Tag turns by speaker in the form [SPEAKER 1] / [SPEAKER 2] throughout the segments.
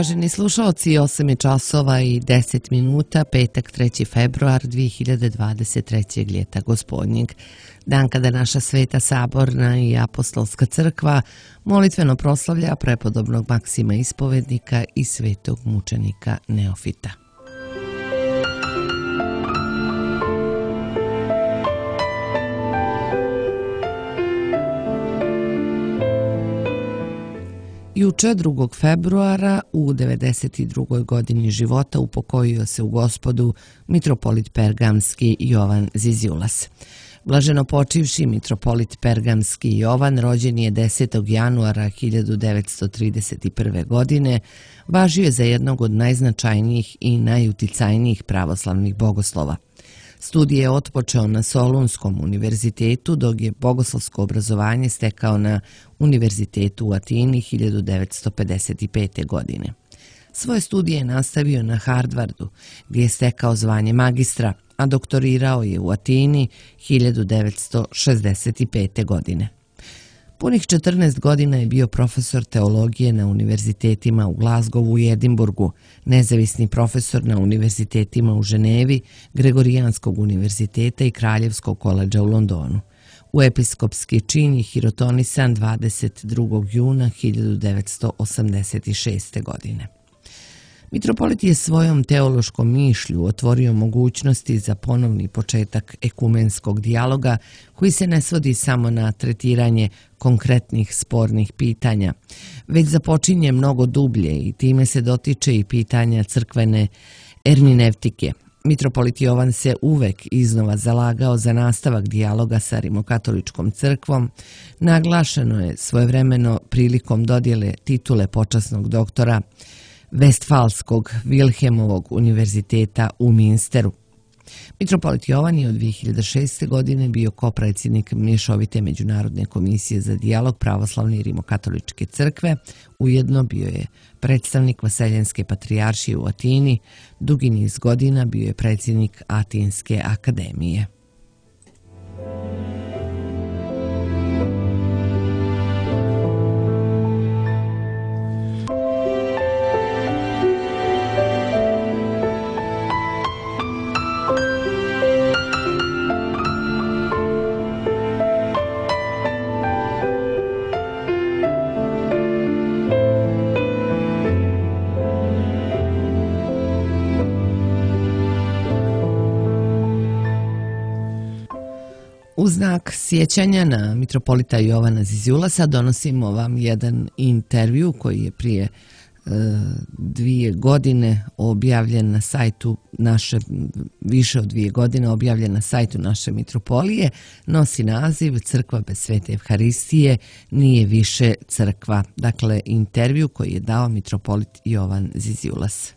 [SPEAKER 1] Uvaženi slušalci, 8 je časova i 10 minuta, petak 3. februar 2023. ljeta gospodnjeg. Dan kada naša Sveta Saborna i Apostolska crkva molitveno proslavlja prepodobnog Maksima Ispovednika i svetog mučenika Neofita. Juče, 2. februara, u 92. godini života upokojio se u Gospodu mitropolit Pergamski Jovan Ziziulas. Blaženo počivši mitropolit Pergamski Jovan rođen je 10. januara 1931. godine, važio je za jednog od najznačajnijih i najuticajnijih pravoslavnih bogoslova. Studije je otpočeo na Solunskom univerzitetu, dok je bogoslovsko obrazovanje stekao na Univerzitetu u Atini 1955. godine. Svoje studije je nastavio na Harvardu, gdje je stekao zvanje magistra, a doktorirao je u Atini 1965. godine. Punih 14 godina je bio profesor teologije na univerzitetima u Glazgovu i Edinburgu, nezavisni profesor na univerzitetima u Ženevi, Gregorijanskog univerziteta i Kraljevskog koledža u Londonu. U episkopski čin je hirotonisan 22. juna 1986. godine. Mitropolit je svojom teološkom mišlju otvorio mogućnosti za ponovni početak ekumenskog dijaloga koji se ne svodi samo na tretiranje konkretnih spornih pitanja, već započinje mnogo dublje i time se dotiče i pitanja crkvene erminevtike. Mitropolit Jovan se uvek iznova zalagao za nastavak dijaloga sa Rimokatoličkom crkvom. Naglašeno je svojevremeno prilikom dodjele titule počasnog doktora Vestfalskog Vilhelmovog univerziteta u Minsteru. Mitropolit Jovan je od 2006. godine bio kopredsjednik Mješovite međunarodne komisije za dijalog pravoslavne i rimokatoličke crkve, ujedno bio je predstavnik Vaseljenske patrijaršije u Atini, dugi niz godina bio je predsjednik Atinske akademije. U znak sjećanja na mitropolita Jovana Ziziulasa donosimo vam jedan intervju koji je prije 2 godine objavljen na sajtu naše, više od 2 godine objavljen na sajtu naše mitropolije, nosi naziv Crkva bez svete Evharistije nije više crkva. Dakle, intervju koji je dao mitropolit Jovan Ziziulas.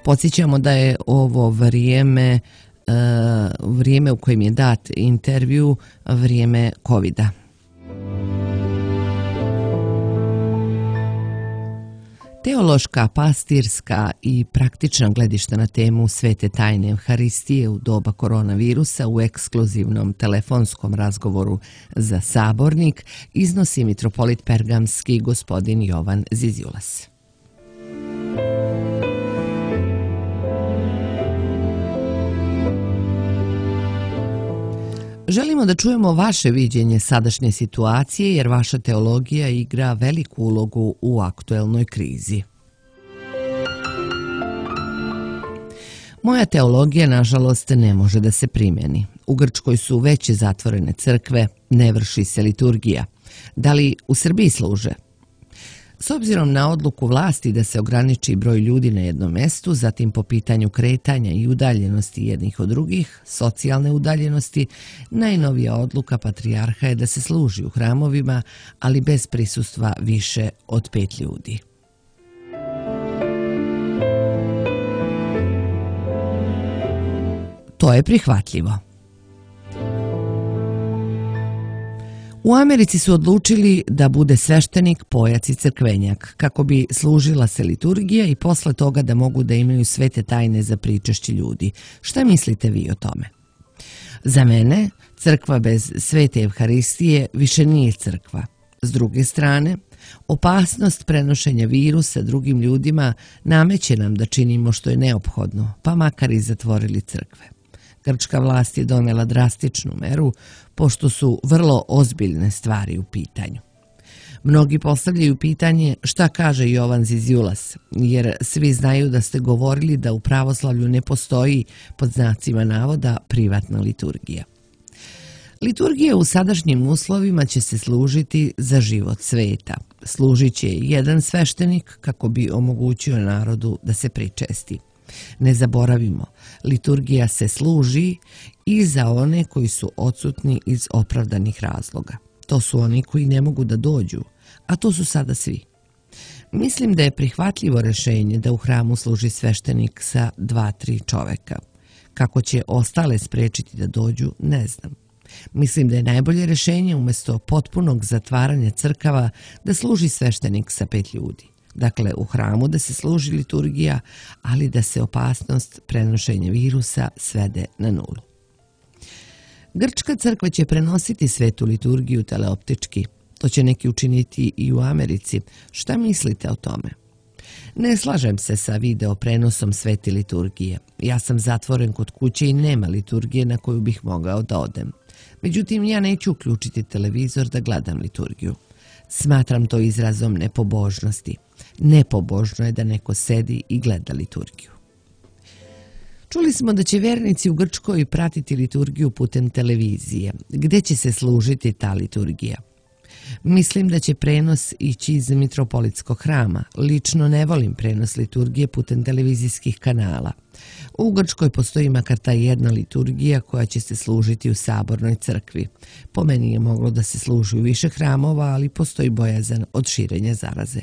[SPEAKER 1] Podsjećamo da je ovo vrijeme u kojem je dat intervju, vrijeme COVID-a. Teološka, pastirska i praktična gledišta na temu svete tajne Evharistije u doba koronavirusa u ekskluzivnom telefonskom razgovoru za Sabornik iznosi mitropolit Pergamski gospodin Jovan Ziziulas. Želimo da čujemo vaše viđenje sadašnje situacije jer vaša teologija igra veliku ulogu u aktuelnoj krizi. Moja teologija, nažalost, ne može da se primjeni. U Grčkoj su veće zatvorene crkve, ne vrši se liturgija. Da li u Srbiji služe? S obzirom na odluku vlasti da se ograniči broj ljudi na jednom mestu, zatim po pitanju kretanja i udaljenosti jednih od drugih, socijalne udaljenosti, najnovija odluka patrijarha je da se služi u hramovima, ali bez prisustva više od 5 ljudi. To je prihvatljivo. U Americi su odlučili da bude sveštenik, pojac i crkvenjak, kako bi služila se liturgija i posle toga da mogu da imaju svete tajne za pričešće ljudi. Šta mislite vi o tome? Za mene, crkva bez svete Evharistije više nije crkva. S druge strane, opasnost prenošenja virusa drugim ljudima nameće nam da činimo što je neophodno, pa makar i zatvorili crkve. Grčka vlast je donela drastičnu meru, pošto su vrlo ozbiljne stvari u pitanju. Mnogi postavljaju pitanje šta kaže Jovan Ziziulas, jer svi znaju da ste govorili da u pravoslavlju ne postoji, pod znacima navoda, privatna liturgija. Liturgija u sadašnjim uslovima će se služiti za život sveta. Služit će jedan sveštenik kako bi omogućio narodu da se pričesti. Ne zaboravimo, liturgija se služi i za one koji su odsutni iz opravdanih razloga. To su oni koji ne mogu da dođu, a to su sada svi. Mislim da je prihvatljivo rešenje da u hramu služi sveštenik sa 2-3 čoveka. Kako će ostale sprečiti da dođu, ne znam. Mislim da je najbolje rešenje umjesto potpunog zatvaranja crkava da služi sveštenik sa 5 ljudi. Dakle, u hramu da se služi liturgija, ali da se opasnost prenošenja virusa svede na nulu. Grčka crkva će prenositi svetu liturgiju teleoptički. To će neki učiniti i u Americi. Šta mislite o tome? Ne slažem se sa video prenosom svete liturgije. Ja sam zatvoren kod kuće i nema liturgije na koju bih mogao da odem. Međutim, ja neću uključiti televizor da gledam liturgiju. Smatram to izrazom nepobožnosti. Nepobožno je da neko sedi i gleda liturgiju. Čuli smo da će vernici u Grčkoj pratiti liturgiju putem televizije. Gde će se služiti ta liturgija? Mislim da će prenos ići iz mitropolitskog hrama. Lično ne volim prenos liturgije putem televizijskih kanala. U Grčkoj postoji makar ta jedna liturgija koja će se služiti u sabornoj crkvi. Po meni je moglo da se služi u više hramova, ali postoji bojazan od širenja zaraze.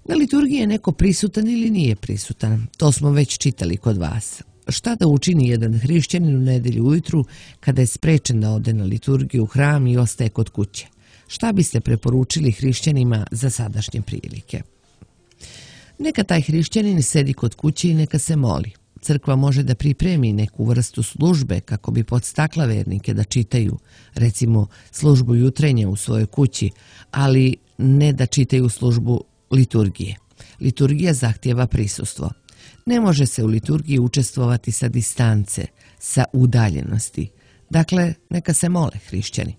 [SPEAKER 1] Na liturgiji je neko prisutan ili nije prisutan? To smo već čitali kod vas. Šta da učini jedan hrišćanin u nedelju ujutru kada je sprečen da ode na liturgiju u hram i ostaje kod kuće? Šta biste preporučili hrišćanima za sadašnje prilike? Neka taj hrišćanin sedi kod kuće i neka se moli. Crkva može da pripremi neku vrstu službe kako bi podstakla vernike da čitaju, recimo službu jutrenja u svojoj kući, ali ne da čitaju službu liturgije. Liturgija zahtijeva prisustvo. Ne može se u liturgiji učestvovati sa distance, sa udaljenosti. Dakle, neka se mole hrišćani.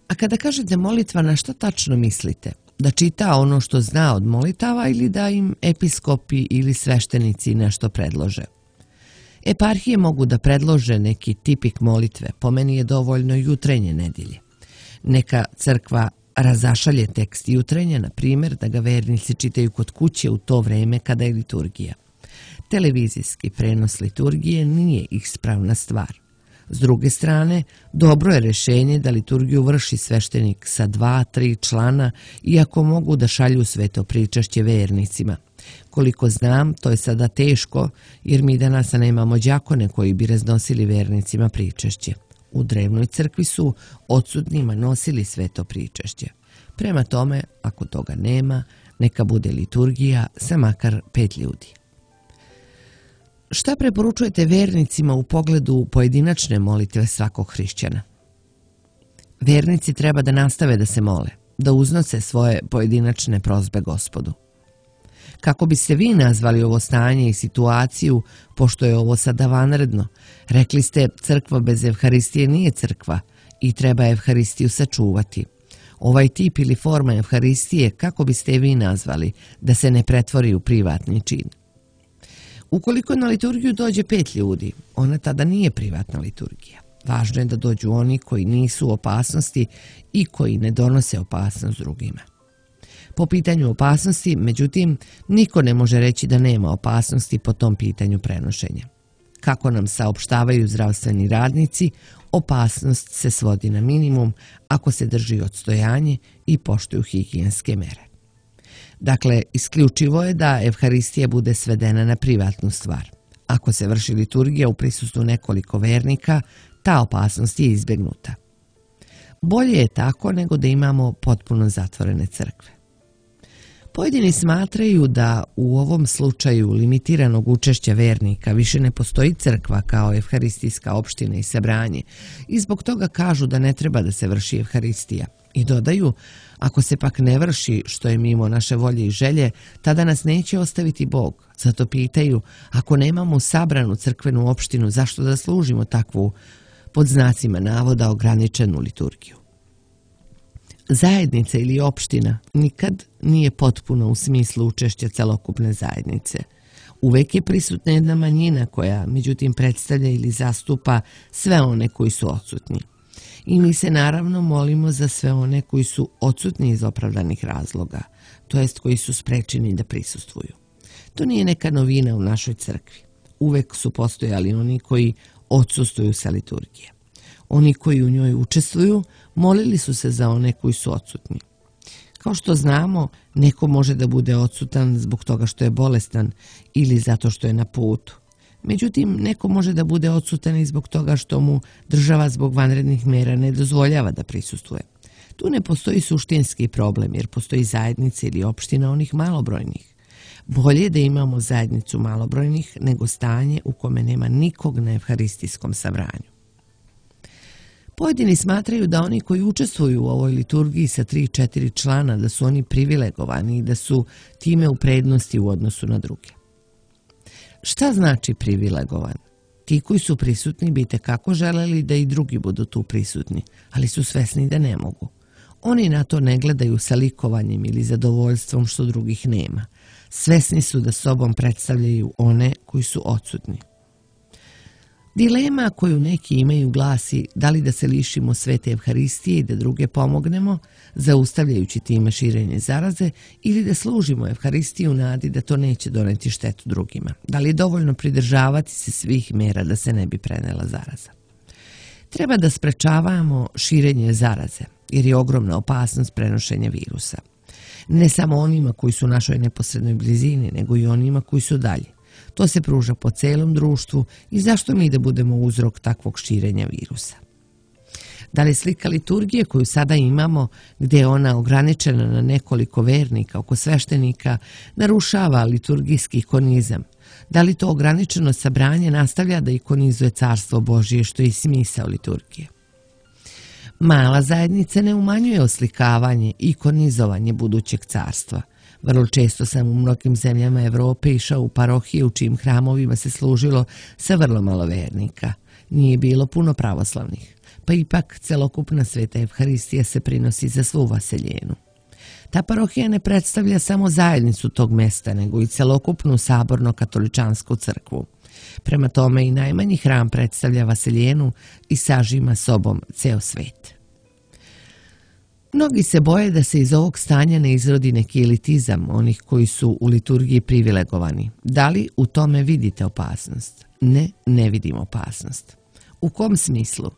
[SPEAKER 1] A kada kažete molitva, na što tačno mislite? Da čita ono što zna od molitava ili da im episkopi ili sveštenici nešto predlože? Eparhije mogu da predlože neki tipik molitve, po meni je dovoljno jutrenje nedelje. Neka crkva razašalje tekst jutrenja, na primjer da ga vernici čitaju kod kuće u to vreme kada je liturgija. Televizijski prenos liturgije nije ispravna stvar. S druge strane, dobro je rešenje da liturgiju vrši sveštenik sa 2-3 člana, iako mogu da šalju sveto pričašće vernicima. Koliko znam, to je sada teško, jer mi danas nemamo đakone koji bi raznosili vernicima pričašće. U drevnoj crkvi su odsutnima nosili sveto pričašće. Prema tome, ako toga nema, neka bude liturgija sa makar 5 ljudi. Šta preporučujete vernicima u pogledu pojedinačne molitve svakog hrišćana? Vernici treba da nastave da se mole, da uznose svoje pojedinačne prosbe Gospodu. Kako biste vi nazvali ovo stanje i situaciju, pošto je ovo sada vanredno? Rekli ste, crkva bez Evharistije nije crkva i treba Evharistiju sačuvati. Ovaj tip ili forma Evharistije, kako biste vi nazvali, da se ne pretvori u privatni čin? Ukoliko na liturgiju dođe 5 ljudi, ona tada nije privatna liturgija. Važno je da dođu oni koji nisu u opasnosti i koji ne donose opasnost drugima. Po pitanju opasnosti, međutim, niko ne može reći da nema opasnosti po tom pitanju prenošenja. Kako nam saopštavaju zdravstveni radnici, opasnost se svodi na minimum ako se drži odstojanje i poštuju higijenske mere. Dakle, isključivo je da Evharistija bude svedena na privatnu stvar. Ako se vrši liturgija u prisustvu nekoliko vernika, ta opasnost je izbegnuta. Bolje je tako nego da imamo potpuno zatvorene crkve. Pojedini smatraju da u ovom slučaju limitiranog učešća vernika više ne postoji crkva kao evharistijska opština i sabranje i zbog toga kažu da ne treba da se vrši evharistija. I dodaju, ako se pak ne vrši što je mimo naše volje i želje, tada nas neće ostaviti Bog. Zato pitaju, ako nemamo sabranu crkvenu opštinu, zašto da služimo takvu, pod znacima navoda, ograničenu liturgiju? Zajednica ili opština nikad nije potpuno u smislu učešća celokupne zajednice. Uvek je prisutna jedna manjina koja, međutim, predstavlja ili zastupa sve one koji su odsutni. I mi se naravno molimo za sve one koji su odsutni iz opravdanih razloga, to jest koji su sprečeni da prisustvuju. To nije neka novina u našoj crkvi. Uvek su postojali oni koji odsustvuju sa liturgije. Oni koji u njoj učestvuju molili su se za one koji su odsutni. Kao što znamo, neko može da bude odsutan zbog toga što je bolestan ili zato što je na putu. Međutim, neko može da bude odsutan i zbog toga što mu država zbog vanrednih mera ne dozvoljava da prisustvuje. Tu ne postoji suštinski problem jer postoji zajednica ili opština onih malobrojnih. Bolje je da imamo zajednicu malobrojnih nego stanje u kome nema nikog na evharistijskom sabranju. Pojedini smatraju da oni koji učestvuju u ovoj liturgiji sa 3-4 člana da su oni privilegovani i da su time u prednosti u odnosu na druge. Šta znači privilegovan? Ti koji su prisutni bi itekako želeli da i drugi budu tu prisutni, ali su svesni da ne mogu. Oni na to ne gledaju sa likovanjem ili zadovoljstvom što drugih nema. Svesni su da sobom predstavljaju one koji su odsutni. Dilema koju neki imaju glasi da li da se lišimo svete evharistije i da druge pomognemo, zaustavljajući time širenje zaraze, ili da služimo evharistiju u nadi da to neće doneti štetu drugima. Da li je dovoljno pridržavati se svih mera da se ne bi prenela zaraza? Treba da sprečavamo širenje zaraze, jer je ogromna opasnost prenošenja virusa. Ne samo onima koji su u našoj neposrednoj blizini, nego i onima koji su dalje. To se pruža po celom društvu i zašto mi da budemo uzrok takvog širenja virusa? Da li slika liturgije koju sada imamo, gdje je ona ograničena na nekoliko vernika oko sveštenika, narušava liturgijski ikonizam? Da li to ograničeno sabranje nastavlja da ikonizuje Carstvo Božije, što je i smisao liturgije? Mala zajednica ne umanjuje oslikavanje i ikonizovanje budućeg carstva. Vrlo često sam u mnogim zemljama Evrope išao u parohije u čijim hramovima se služilo sa vrlo malo vernika. Nije bilo puno pravoslavnih, pa ipak celokupna sveta evharistija se prinosi za svu vaseljenu. Ta parohija ne predstavlja samo zajednicu tog mesta, nego i celokupnu saborno-katoličansku crkvu. Prema tome i najmanji hram predstavlja vaseljenu i sažima sobom ceo svet. Mnogi se boje da se iz ovog stanja ne izrodi neki elitizam onih koji su u liturgiji privilegovani. Da li u tome vidite opasnost? Ne, ne vidim opasnost. U kom smislu?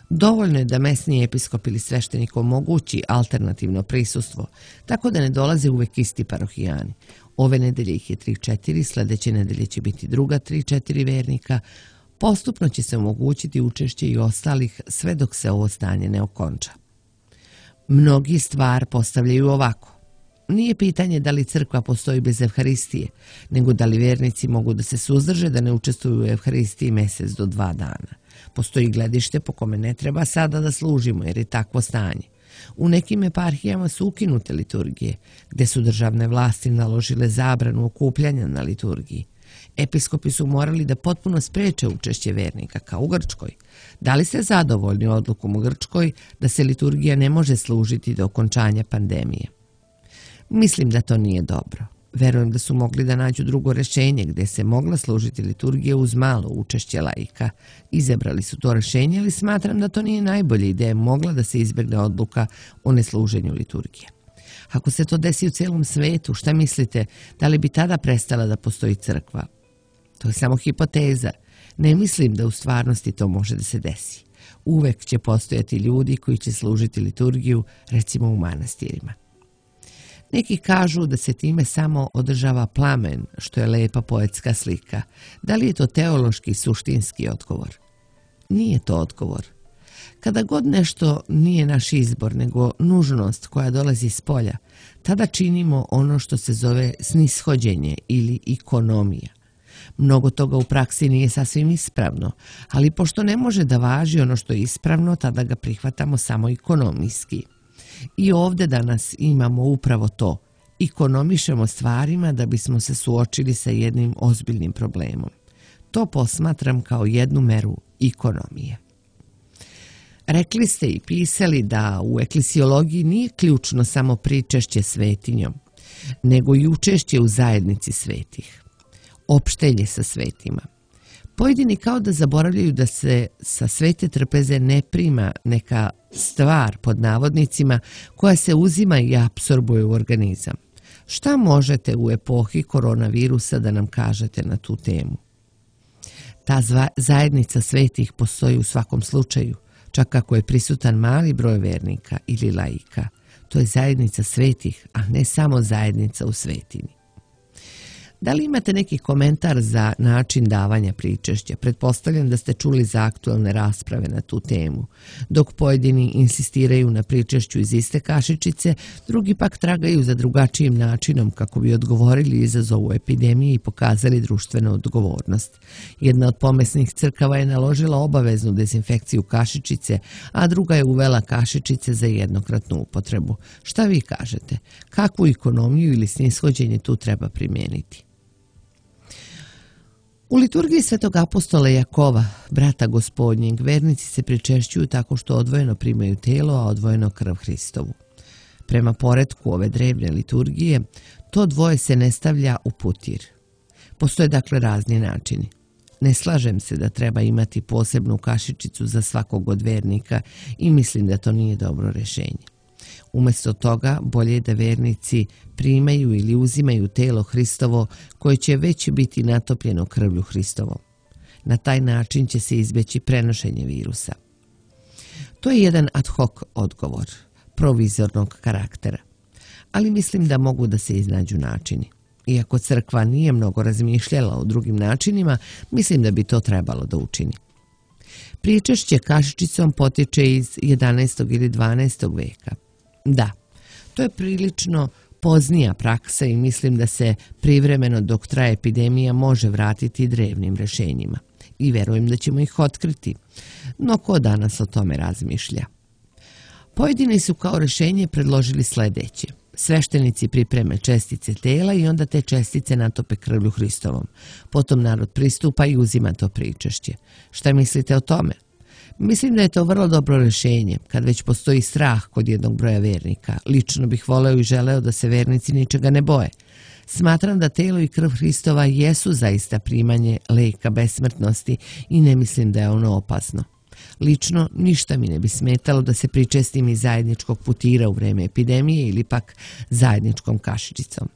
[SPEAKER 1] Dovoljno je da mesni episkop ili sveštenik omogući alternativno prisustvo, tako da ne dolaze uvek isti parohijani. Ove nedelje ih je 3-4, sledeće nedelje će biti druga 3-4 vernika. Postupno će se omogućiti učešće i ostalih sve dok se ovo stanje ne okonča. Mnogi stvar postavljaju ovako. Nije pitanje da li crkva postoji bez evharistije, nego da li vernici mogu da se suzdrže da ne učestvuju u evharistiji mesec do 2 dana. Postoji gledište po kome ne treba sada da služimo jer je takvo stanje. U nekim eparhijama su ukinute liturgije, gde su državne vlasti naložile zabranu okupljanja na liturgiji. Episkopi su morali da potpuno spreče učešće vernika, kao u Grčkoj. Da li ste zadovoljni odlukom u Grčkoj da se liturgija ne može služiti do okončanja pandemije? Mislim da to nije dobro. Verujem da su mogli da nađu drugo rešenje gdje se mogla služiti liturgija uz malo učešće laika. Izabrali su to rešenje, ali smatram da to nije najbolja ideja, mogla da se izbegne odluka o nesluženju liturgije. Ako se to desi u celom svetu, šta mislite, da li bi tada prestala da postoji crkva? To je samo hipoteza. Ne mislim da u stvarnosti to može da se desi. Uvek će postojati ljudi koji će služiti liturgiju, recimo u manastirima. Neki kažu da se time samo održava plamen, što je lepa poetska slika. Da li je to teološki suštinski odgovor? Nije to odgovor. Kada god nešto nije naš izbor, nego nužnost koja dolazi s polja, tada činimo ono što se zove snishođenje ili ekonomija. Mnogo toga u praksi nije sasvim ispravno, ali pošto ne može da važi ono što je ispravno, tada ga prihvatamo samo ekonomijski. I ovdje danas imamo upravo to. Ekonomišemo stvarima da bismo se suočili sa jednim ozbiljnim problemom. To posmatram kao jednu meru ekonomije. Rekli ste i pisali da u eklesiologiji nije ključno samo pričešće svetinjom, nego i učešće u zajednici svetih. Opštenje sa svetima. Pojedini kao da zaboravljaju da se sa svete trpeze ne prima neka stvar pod navodnicima koja se uzima i apsorbuje u organizam. Šta možete u epohi koronavirusa da nam kažete na tu temu? Ta zajednica svetih postoji u svakom slučaju, čak ako je prisutan mali broj vernika ili laika. To je zajednica svetih, a ne samo zajednica u svetini. Da li imate neki komentar za način davanja pričešća? Pretpostavljam da ste čuli za aktualne rasprave na tu temu. Dok pojedini insistiraju na pričešću iz iste kašičice, drugi pak tragaju za drugačijim načinom kako bi odgovorili izazovu epidemije i pokazali društvenu odgovornost. Jedna od pomesnih crkava je naložila obaveznu dezinfekciju kašičice, a druga je uvela kašičice za jednokratnu upotrebu. Šta vi kažete? Kakvu ekonomiju ili snishođenje tu treba primijeniti? U liturgiji svetog apostola Jakova, brata gospodnjeg, vernici se pričešćuju tako što odvojeno primaju telo, a odvojeno krv Hristovu. Prema poretku ove drevne liturgije, to dvoje se ne stavlja u putir. Postoje dakle razni načini. Ne slažem se da treba imati posebnu kašičicu za svakog od vernika i mislim da to nije dobro rješenje. Umjesto toga, bolje je da vernici primaju ili uzimaju telo Hristovo koje će već biti natopljeno krvlju Hristovom. Na taj način će se izbjeći prenošenje virusa. To je jedan ad hoc odgovor, provizornog karaktera, ali mislim da mogu da se iznađu načini. Iako crkva nije mnogo razmišljala o drugim načinima, mislim da bi to trebalo da učini. Pričešće kašičicom potiče iz 11. ili 12. veka. Da, to je prilično poznija praksa i mislim da se privremeno dok traje epidemija može vratiti drevnim rješenjima. I verujem da ćemo ih otkriti. No ko danas o tome razmišlja? Pojedini su kao rješenje predložili sljedeće. Sveštenici pripreme čestice tela i onda te čestice natope krvlju Hristovom. Potom narod pristupa i uzima to pričešće. Šta mislite o tome? Mislim da je to vrlo dobro rješenje, kad već postoji strah kod jednog broja vernika. Lično bih voleo i želeo da se vernici ničega ne boje. Smatram da telo i krv Hristova jesu zaista primanje leka besmrtnosti i ne mislim da je ono opasno. Lično, ništa mi ne bi smetalo da se pričestim iz zajedničkog putira u vreme epidemije ili pak zajedničkom kašičicom.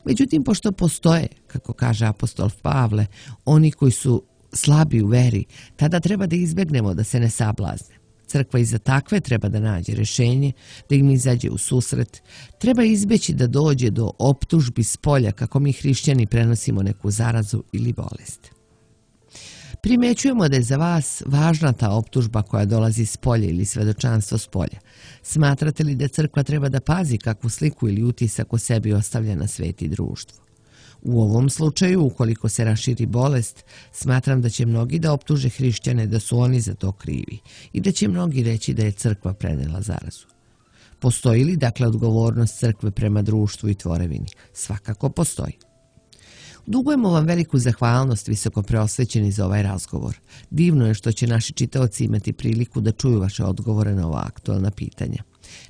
[SPEAKER 1] Međutim, pošto postoje, kako kaže apostol Pavle, oni koji su slabi u veri, tada treba da izbjegnemo da se ne sablazne. Crkva i za takve treba da nađe rješenje, da im izađe u susret. Treba izbjeći da dođe do optužbi s polja kako mi hrišćani prenosimo neku zarazu ili bolest. Primećujemo da je za vas važna ta optužba koja dolazi s polja ili svedočanstvo s polja. Smatrate li da crkva treba da pazi kakvu sliku ili utisak o sebi ostavlja na svet i društvo? U ovom slučaju, ukoliko se raširi bolest, smatram da će mnogi da optuže hrišćane da su oni za to krivi i da će mnogi reći da je crkva prenela zarazu. Postoji li dakle odgovornost crkve prema društvu i tvorevini? Svakako postoji. Dugujemo vam veliku zahvalnost, visoko preosvećeni, za ovaj razgovor. Divno je što će naši čitaoci imati priliku da čuju vaše odgovore na ova aktualna pitanja.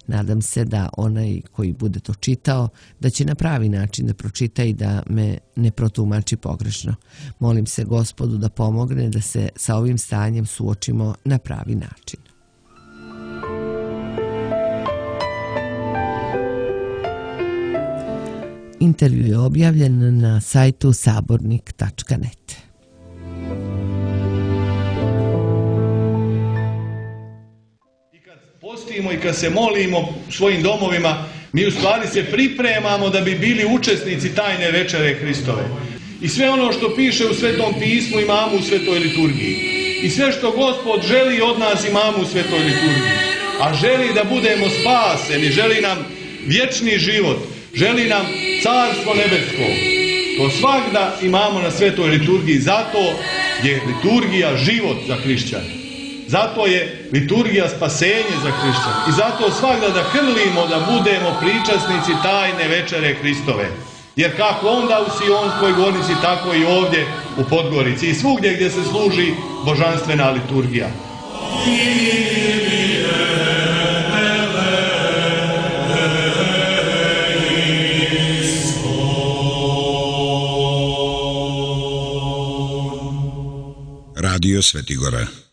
[SPEAKER 1] Nadam se da onaj koji bude to čitao, da će na pravi način da pročita i da me ne protumači pogrešno. Molim se Gospodu da pomogne da se sa ovim stanjem suočimo na pravi način. Intervju je objavljen na sajtu sabornik.net.
[SPEAKER 2] Postimo i kad se molimo u svojim domovima, mi u stvari se pripremamo da bi bili učesnici tajne večere Hristove. I sve ono što piše u Svetom pismu imamo u Svetoj liturgiji. i sve što Gospod želi od nas imamo u svetoj liturgiji. A želi da budemo spaseni, želi nam vječni život, želi nam carstvo nebesko. To svagda imamo na svetoj liturgiji, zato je liturgija život za hrišćane. Zato je liturgija spasenje za hrišćane. I zato svagda da hrlimo da budemo pričasnici tajne večere Hristove. Jer kako onda u Sionskoj gornici, tako i ovdje u Podgorici i svugdje gdje se služi božanstvena liturgija.
[SPEAKER 3] Radio Svetigora.